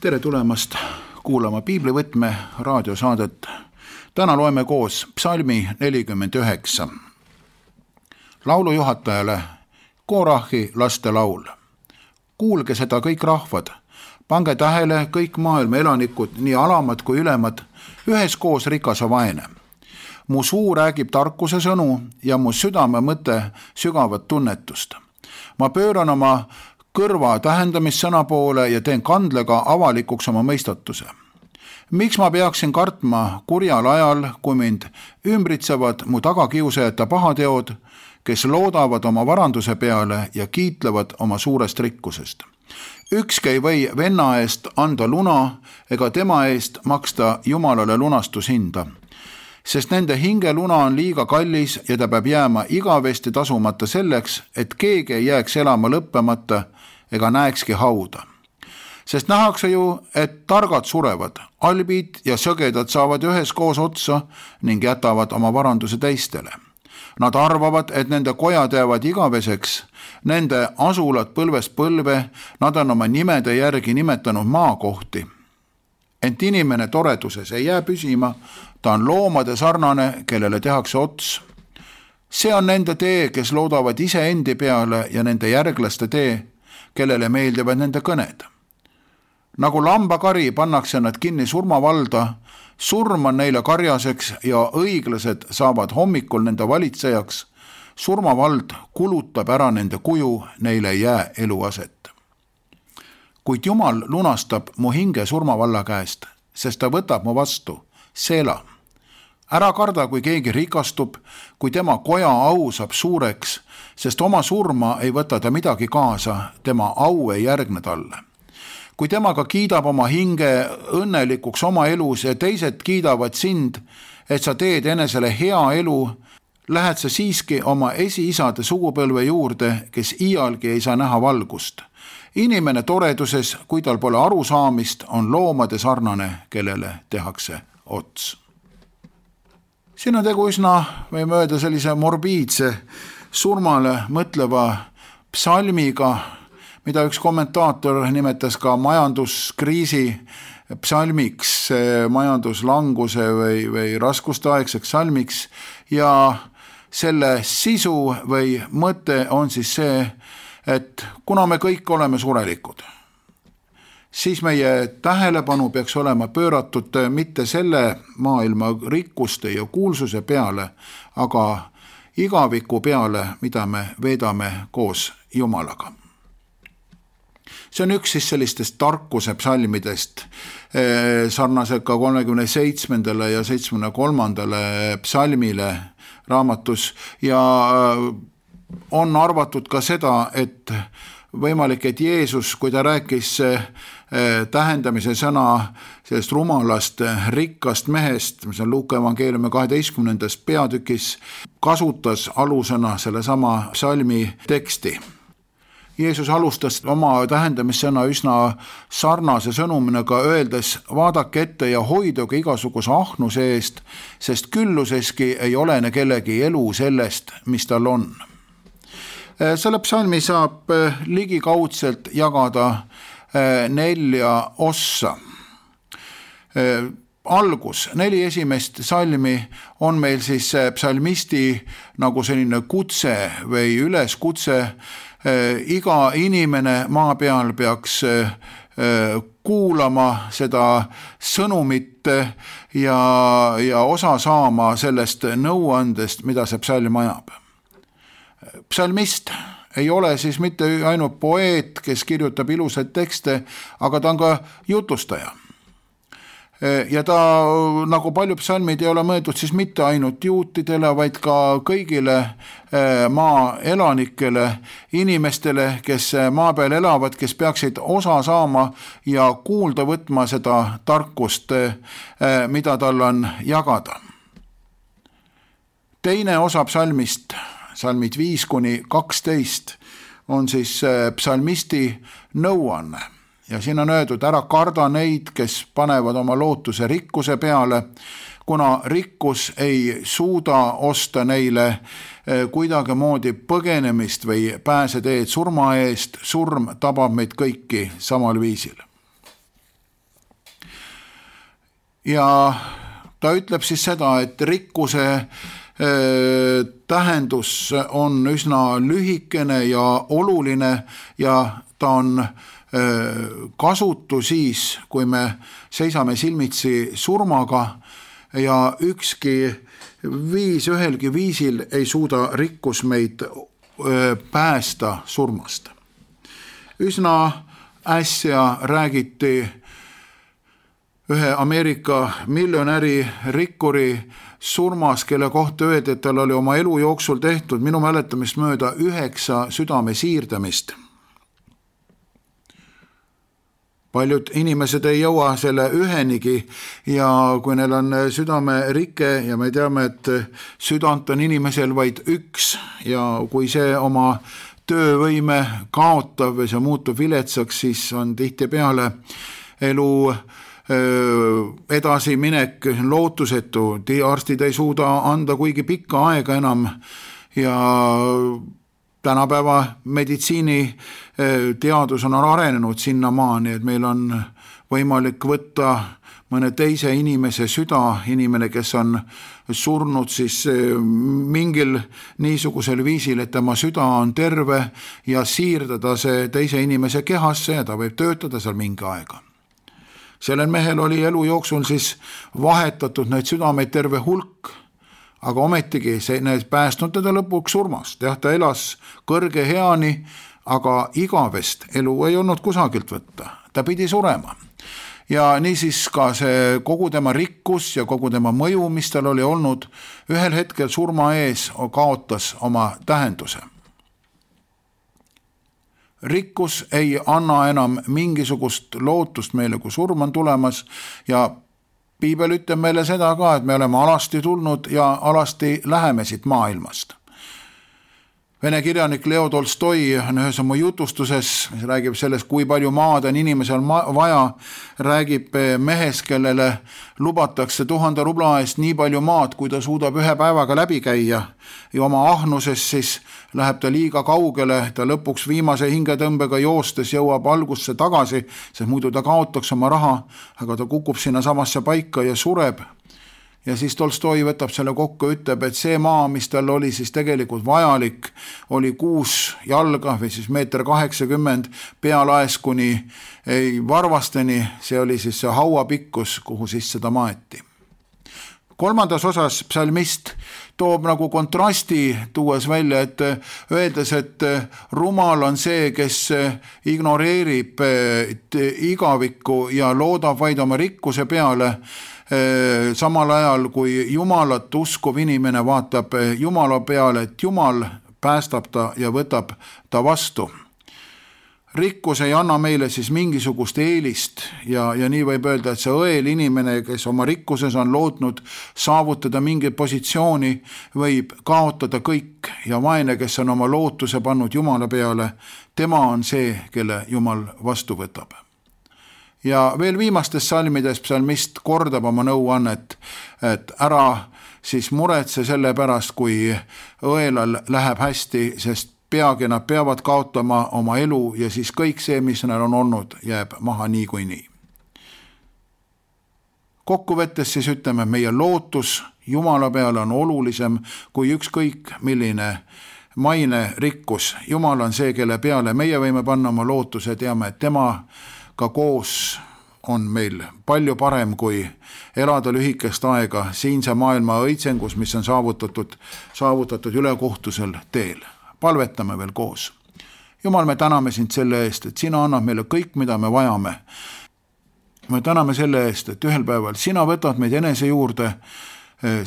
Tere tulemast kuulama Piiblivõtme raadiosaadet. Täna loeme koos psalmi 49. Laulu juhatajale Korahi laste laul. Kuulge seda kõik rahvad, pange tähele kõik maailma elanikud, nii alamad kui ülemad, üheskoos rikas ja vaene. Mu suu räägib tarkuse sõnu ja mu südame mõte sügavat tunnetust. Ma pööran oma kõrva tähendamissõna poole ja teen kandlega avalikuks oma mõistatuse. Miks ma peaksin kartma kurjal ajal, kui mind ümbritsevad mu tagakiusajate pahateod, kes loodavad oma varanduse peale ja kiitlevad oma suurest rikkusest? Ükski ei või venna eest anda luna ega tema eest maksta Jumalale lunastushinda, sest nende hingeluna on liiga kallis ja ta peab jääma igavesti tasumata selleks, et keegi ei jääks elama lõppemata ega näekski hauda. Sest nähakse ju, et targad surevad, albid ja sõgedad saavad üheskoos otsa ning jätavad oma varanduse teistele. Nad arvavad, et nende kojad jäävad igaveseks, nende asulad põlvest põlve, nad on oma nimede järgi nimetanud maakohti. Ent inimene toreduses ei jää püsima, ta on loomade sarnane, kellele tehakse ots. See on nende tee, kes loodavad ise endi peale ja nende järglaste tee, kellele meeldivad nende kõned. Nagu lambakari pannakse nad kinni surmavalda, surm on neile karjaseks ja õiglased saavad hommikul nende valitsejaks, surmavald kulutab ära nende kuju, neile ei jää eluaset. Kuid Jumal lunastab mu hinge surmavalla käest, sest ta võtab mu vastu, Seela. Ära karda, kui keegi rikastub, kui tema koja au saab suureks, sest oma surma ei võta ta midagi kaasa, tema au ei järgne talle. Kui temaga kiidab oma hinge õnnelikuks oma elus ja teised kiidavad sind, et sa teed enesele hea elu, lähed sa siiski oma esiisade sugupõlve juurde, kes iialgi ei saa näha valgust. Inimene toreduses, kui tal pole arusaamist, on loomade sarnane, kellele tehakse ots. Siin on tegu üsna, võime öelda, sellise morbiidse, surmale mõtleva psalmiga, mida üks kommentaator nimetas ka majanduskriisi psalmiks, majanduslanguse või raskusteaegseks psalmiks, ja selle sisu või mõte on siis see, et kuna me kõik oleme surelikud, siis meie tähelepanu peaks olema pööratud mitte selle maailma rikkuste ja kuulsuse peale, aga igaviku peale, mida me veedame koos Jumalaga. See on üks siis sellistest tarkuse psalmidest, sarnased ka 37. ja 73. psalmile raamatus, ja on arvatud ka seda, et võimalik, et Jeesus, kui ta rääkis tähendamise sõna sellest rumalast rikkast mehest, mis on Luuka evangeeliumi 12. peatükis, kasutas alusõna selle sama psalmi teksti. Jeesus alustas oma tähendamissõna üsna sarnase sõnuminaga, öeldes, vaadake ette ja hoiduge igasuguse ahnuse eest, sest külluseski ei olene kellegi elu sellest, mis tal on. Selle psalmi saab ligikaudselt jagada 4 ossa. Algus, 4 esimest psalmi on meil siis psalmisti nagu selline kutse või üleskutse. Iga inimene maa peal peaks kuulama seda sõnumit ja osa saama sellest nõuandest, mida see psalm ajab. Psalmist ei ole siis mitte ainult poeet, kes kirjutab ilusaid tekste, aga ta on ka jutustaja. Ja ta, nagu paljud psalmid, ei ole mõeldud siis mitte ainult juutidele, vaid ka kõigile maa elanikele, inimestele, kes maa peal elavad, kes peaksid osa saama ja kuulda võtma seda tarkust, mida tal on jagada. Teine osa psalmist, psalmid 5-12, on siis psalmisti nõuanne. Ja siin on öeldud, ära karda neid, kes panevad oma lootuse rikkuse peale, kuna rikkus ei suuda osta neile kuidagi moodi põgenemist või pääseteed surma eest, surm tabab meid kõiki samal viisil. ja ta ütleb siis seda, et rikkuse tähendus on üsna lühikene ja oluline ja ta on kasutu siis, kui me seisame silmitsi surmaga ja ükski viis ühelgi viisil ei suuda rikkus meid päästa surmast. Üsna äsja räägiti ühe Ameerika miljonäri rikkuri surmas, kelle kohta öeldi, et tal oli oma elu jooksul tehtud minu mäletamist mööda 9 südame siirdamist. Paljud inimesed ei jõua selle ühenigi ja kui neil on südamerike ja me teame, et südant on inimesel vaid üks ja kui see oma töövõime kaotab või see muutub viletsaks, siis on tihtipeale elu edasiminek lootusetu, arstid ei suuda anda kuigi pikka aega enam ja tänapäeva meditsiiniteadus on arenenud sinnamaani, et meil on võimalik võtta mõne teise inimese süda, inimene, kes on surnud siis mingil niisugusel viisil, et tema süda on terve ja siirdada see teise inimese kehasse ja ta võib töötada seal mingi aega. Sellel mehel oli elu jooksul siis vahetatud neid südameid terve hulk, aga ometigi need päästnud teda lõpuks surmast. Jah, ta elas kõrge heani, aga igavest elu ei olnud kusagilt võtta. Ta pidi surema. Ja niisiis ka see kogu tema rikkus ja kogu tema mõju, mis tal oli olnud, ühel hetkel surma ees kaotas oma tähenduse. Rikkus ei anna enam mingisugust lootust meile, kui surm on tulemas ja Piibel ütleb meile seda ka, et me oleme alasti tulnud ja alasti läheme siit maailmast. Vene kirjanik Leo Tolstoi on ühes oma jutustuses, mis räägib sellest, kui palju maad on inimesel vaja, räägib mehes, kellele lubatakse 1000 rubla eest nii palju maad, kui ta suudab ühe päevaga läbi käia ja oma ahnuses siis läheb ta liiga kaugele, ta lõpuks viimase hingetõmbega joostes jõuab algusse tagasi, sest muidu ta kaotaks oma raha, aga ta kukub sinna samasse paika ja sureb. Ja siis Tolstoi võtab selle kokku, ütleb, et see maa, mis tal oli siis tegelikult vajalik, oli 6 jalga või siis 1,80 meetrit pealaes kuni varvasteni, see oli siis see hauapikkus, kuhu siis seda maeti. 3. osas psalmist toob nagu kontrasti tuues välja, et öeldes, et rumal on see, kes ignoreerib igavikku ja loodab vaid oma rikkuse peale, samal ajal kui Jumalat uskuv inimene vaatab Jumala peale, et Jumal päästab ta ja võtab ta vastu. Rikkus ei anna meile siis mingisugust eelist ja nii võib öelda, et see õel inimene, kes oma rikkuses on lootnud saavutada mingit positsiooni, võib kaotada kõik ja vaene, kes on oma lootuse pannud Jumala peale, tema on see, kelle Jumal vastu võtab. Ja veel viimastes salmides psalmist kordab oma nõuannet, et ära siis muretse selle pärast, kui õelal läheb hästi, sest peagi nad peavad kaotama oma elu ja siis kõik see, mis neil on olnud, jääb maha niikuinii. Kokkuvõttes siis ütleme, meie lootus Jumala peale on olulisem kui ükskõik milline maine rikkus. Jumal on see, kelle peale meie võime panna oma lootuse, teame, et tema ka koos on meil palju parem kui elada lühikest aega siinse maailma õitsengus, mis on saavutatud ülekohtusel teel. Palvetame veel koos. Jumal, me täname sind selle eest, et sina annad meile kõik, mida me vajame. Me täname selle eest, et ühel päeval sina võtad meid enese juurde,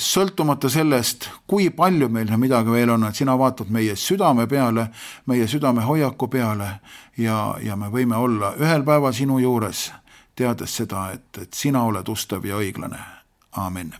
sõltumata sellest, kui palju meil midagi veel on, et sina vaatad meie südame peale, meie südame hoiaku peale ja me võime olla ühel päeval sinu juures, teades seda, et sina oled ustav ja õiglane. Aamen.